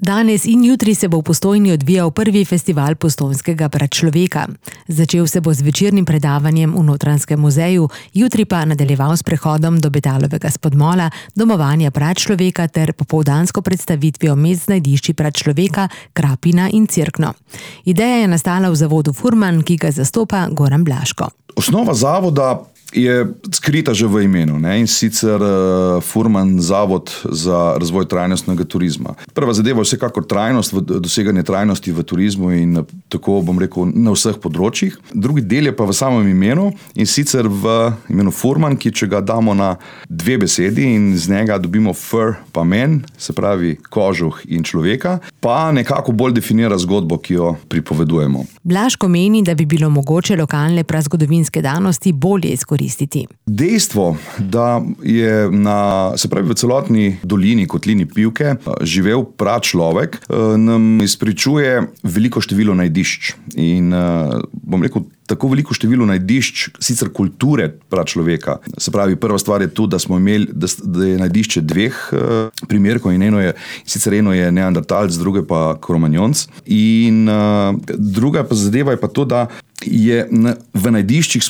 Danes in jutri se bo v Postojni odvijal prvi festival postojnskega pračloveka. Začel se bo z večernim predavanjem v Notranjskem muzeju, jutri pa nadaljeval s prehodom do Betalovega spodmola, domovanja pračloveka ter popoldansko predstavitvijo mest z najdišči pračloveka, Krapina in Cerkno. Ideja je nastala v zavodu Furman, ki ga zastopa Goran Blaško. Osnova zavoda je skrita že v imenu, ne? In sicer Furman Zavod za razvoj trajnostnega turizma. Prva zadeva je vsekakor trajnost, doseganje trajnosti v turizmu in tako bom rekel na vseh področjih. Drugi del je pa v samem imenu in sicer v imenu Furman, ki če ga damo na dve besedi in z njega dobimo fur pa men, se pravi kožuh in človeka, pa nekako bolj definira zgodbo, ki jo pripovedujemo. Blaško meni, da bi bilo mogoče lokalne prazgodovinske danosti bolje izkoristiti. Dejstvo, da je v celotni dolini, kotlini Pivke, živel pračlovek, nam izpričuje veliko število najdišč. In bom rekel, tako veliko število najdišč, sicer kulture pračloveka. Se pravi, prva stvar je tu, da smo imeli, da je najdišče dveh primerkov in sicer eno je neandertalc, druge pa kromanjonc. In druga pa zadeva je pa to, da je v najdiščih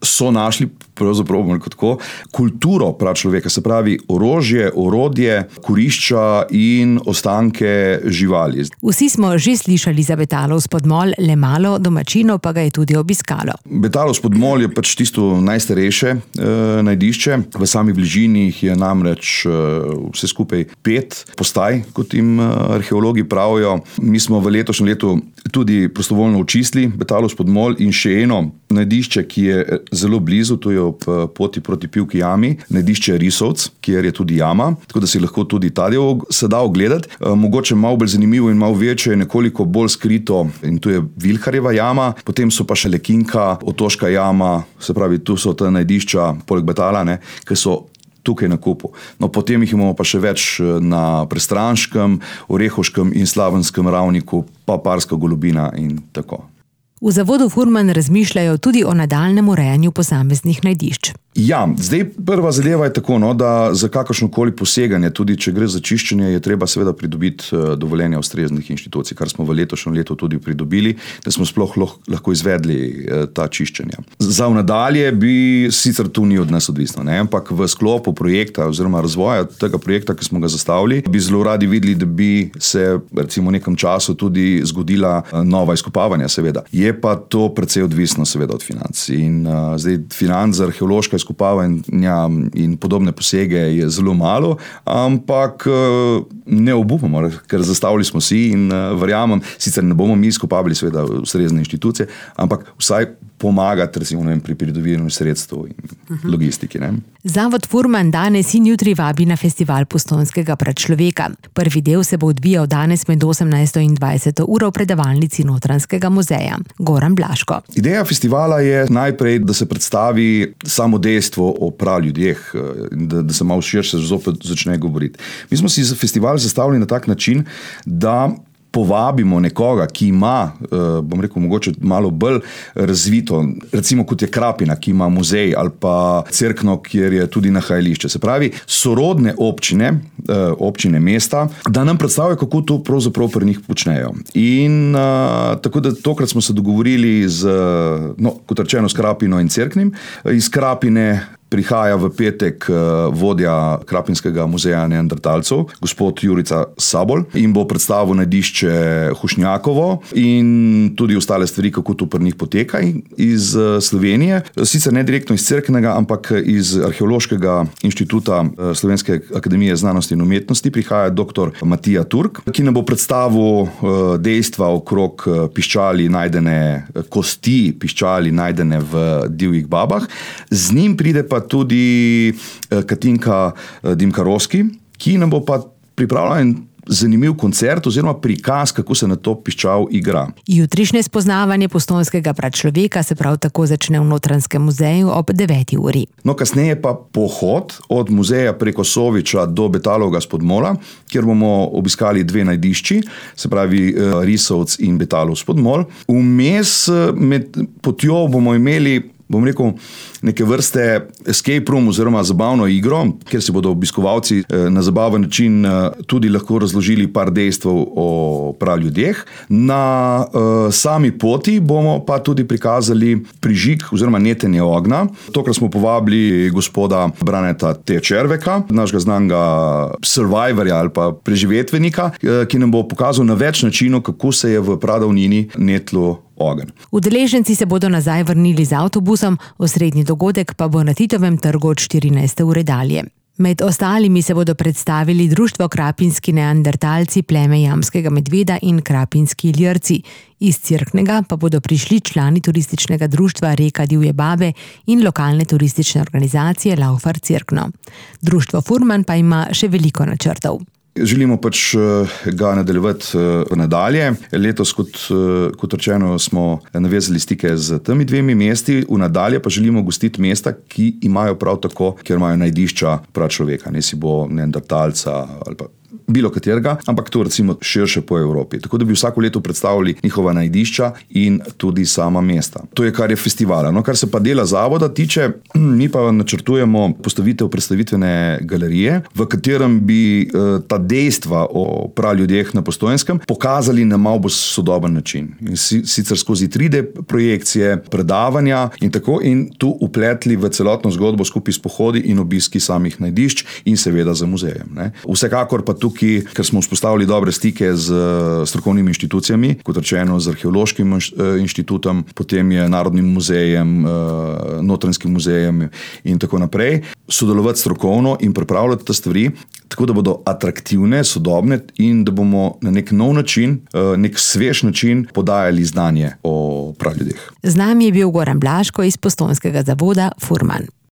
so našli pravzaprav tako kulturo pračloveka, se pravi orožje, orodje, kurišča in ostanke živali. Vsi smo že slišali za Betalov spodmol, le malo domačinov pa ga je tudi obiskalo. Betalov spodmol je pač tisto najstarejše najdišče. V sami bližini jih je namreč vse skupaj 5 postaj, kot jim arheologi pravijo. Mi smo v letošnjem letu tudi prostovoljno očistili Betalov spodmol in še eno najdišče, ki je zelo blizu, to je ob poti proti Pivki jami, najdišče Risovc, kjer je tudi jama, tako da si lahko tudi ta del se da ogledati. Mogoče malo bolj zanimivo in malo večje, nekoliko bolj skrito, in tu je Vilharjeva jama, potem so pa še Lekinka, Otoška jama, se pravi, tu so ta najdišča, poleg Betala, ki so tukaj na kupu. No, potem jih imamo pa še več na Prestranškem, Orehoškem in Slavenskem ravniku, pa Parska Golubina in tako. V zavodu Furman razmišljajo tudi o nadaljnjem urejanju posameznih najdišč. Ja, zdaj prva zadeva je tako, da za kakršnokoli poseganje, tudi če gre za čiščenje, je treba seveda pridobiti dovoljenja ustreznih inštitucij, kar smo v letošnjem letu tudi pridobili, da smo sploh lahko izvedli ta čiščenja. Za nadalje bi sicer tu ni od nas odvisno, ampak v sklopu projekta oziroma razvoja tega projekta, ki smo ga zastavili, bi zelo radi videli, da bi se recimo v nekem času tudi zgodila nova izkopavanja, seveda. Je pa to precej odvisno seveda od financ. In zdaj financ za arheološka izkopavanja in podobne posege je zelo malo, ampak ne obupamo, ker zastavili smo si in verjamem, sicer ne bomo mi izkopavali seveda ustrezne inštitucije, ampak vsaj pomagati recimo pri pridobivanju sredstev in logistiki. Zavod Furman danes in jutri vabi na festival postojnskega pračloveka. Prvi del se bo odvijal danes med 18. in 20. uro v predavalnici Notranjskega muzeja. Goran Blaško. Ideja festivala je najprej, da se predstavi samo dejstvo o praljudeh, da se malo širše zopet začne govoriti. Mi smo si festival zastavili na tak način, da povabimo nekoga, ki ima, bom rekel, mogoče malo bolj razvito, recimo kot je Krapina, ki ima muzej, ali pa Cerkno, kjer je tudi nahajališče. Se pravi, sorodne občine mesta, da nam predstavijo, kako to pravzaprav pri njih počnejo. In tako da tokrat smo se dogovorili kot rečeno, s Krapino in Cerknim. Iz Krapine prihaja v petek vodja Krapinskega muzeja neandertalcev, gospod Jurica Sabol, in bo predstavil najdišče Hušnjakovo in tudi ostale stvari, kako to pri njih poteka iz Slovenije. Sicer ne direktno iz Cerknega, ampak iz Arheološkega inštituta Slovenske akademije znanosti in umetnosti prihaja dr. Matija Turk, ki nam bo predstavil dejstva okrog kosti piščali najdene v divjih babah. Z njim pride pa tudi Katinka Dimkarovski, ki nam bo pa pripravila en zanimiv koncert oziroma prikaz, kako se na to piščal igra. Jutrišnje spoznavanje postojnskega pračloveka se prav tako začne v Notranjskem muzeju ob 9. uri. No, kasneje pa pohod od muzeja preko Soviča do Betalovega spodmola, kjer bomo obiskali dve najdišči, se pravi Risovc in Betalov spodmol. Vmes med potjo bomo imeli bom rekel, neke vrste escape room oziroma zabavno igro, kjer si bodo obiskovalci na zabaven način tudi lahko razložili par dejstev o praljudeh. Na sami poti bomo pa tudi prikazali prižig oziroma netenje ognja. Tokrat smo povabili gospoda Braneta T. Červeka, našega znanega survivorja ali pa preživetvenika, ki nam bo pokazal na več načinov, kako se je v pradavnini netlo ogenj. Udeleženci se bodo nazaj vrnili z avtobusom, osrednji dogodek pa bo na Titovem trgu od 14. ure dalje. Med ostalimi se bodo predstavili Društvo Krapinski neandertalci, pleme jamskega medveda in Krapinski iljrci. Iz Cerknega pa bodo prišli člani turističnega društva Reka divje babe in lokalne turistične organizacije Laufar Cerkno. Društvo Furman pa ima še veliko načrtov. Želimo ga nadaljevati nadalje. Letos, kot rečeno, smo navezali stike z temi dvemi mesti, v nadalje pa želimo gostiti mesta, ki imajo prav tako, kjer imajo najdišča pračloveka, ne si bo neandertalca ali pa bilo katerega, ampak to recimo širše po Evropi. Tako da bi vsako leto predstavili njihova najdišča in tudi sama mesta. To je, kar je festivala. No, kar se pa dela zavoda tiče, mi pa načrtujemo postavitev predstavitvene galerije, v katerem bi ta dejstva o praljudeh na Postojnskem pokazali na malo bolj sodoben način. In sicer skozi 3D projekcije, predavanja in tako, in tu upletli v celotno zgodbo skupaj s pohodi in obiski samih najdišč in seveda za muzejem. Ne. Vsekakor pa tukaj, ker smo vzpostavili dobre stike z strokovnimi inštitucijami, kot rečeno z Arheološkim inštitutom, potem je Narodnim muzejem, Notranjskim muzejem in tako naprej, sodelovati strokovno in pripravljati te stvari, tako da bodo atraktivne, sodobne in da bomo na nek nov način, nek svež način podajali znanje o praljudeh. Z nami je bil Goran Blaško iz Postojnskega zavoda Furman.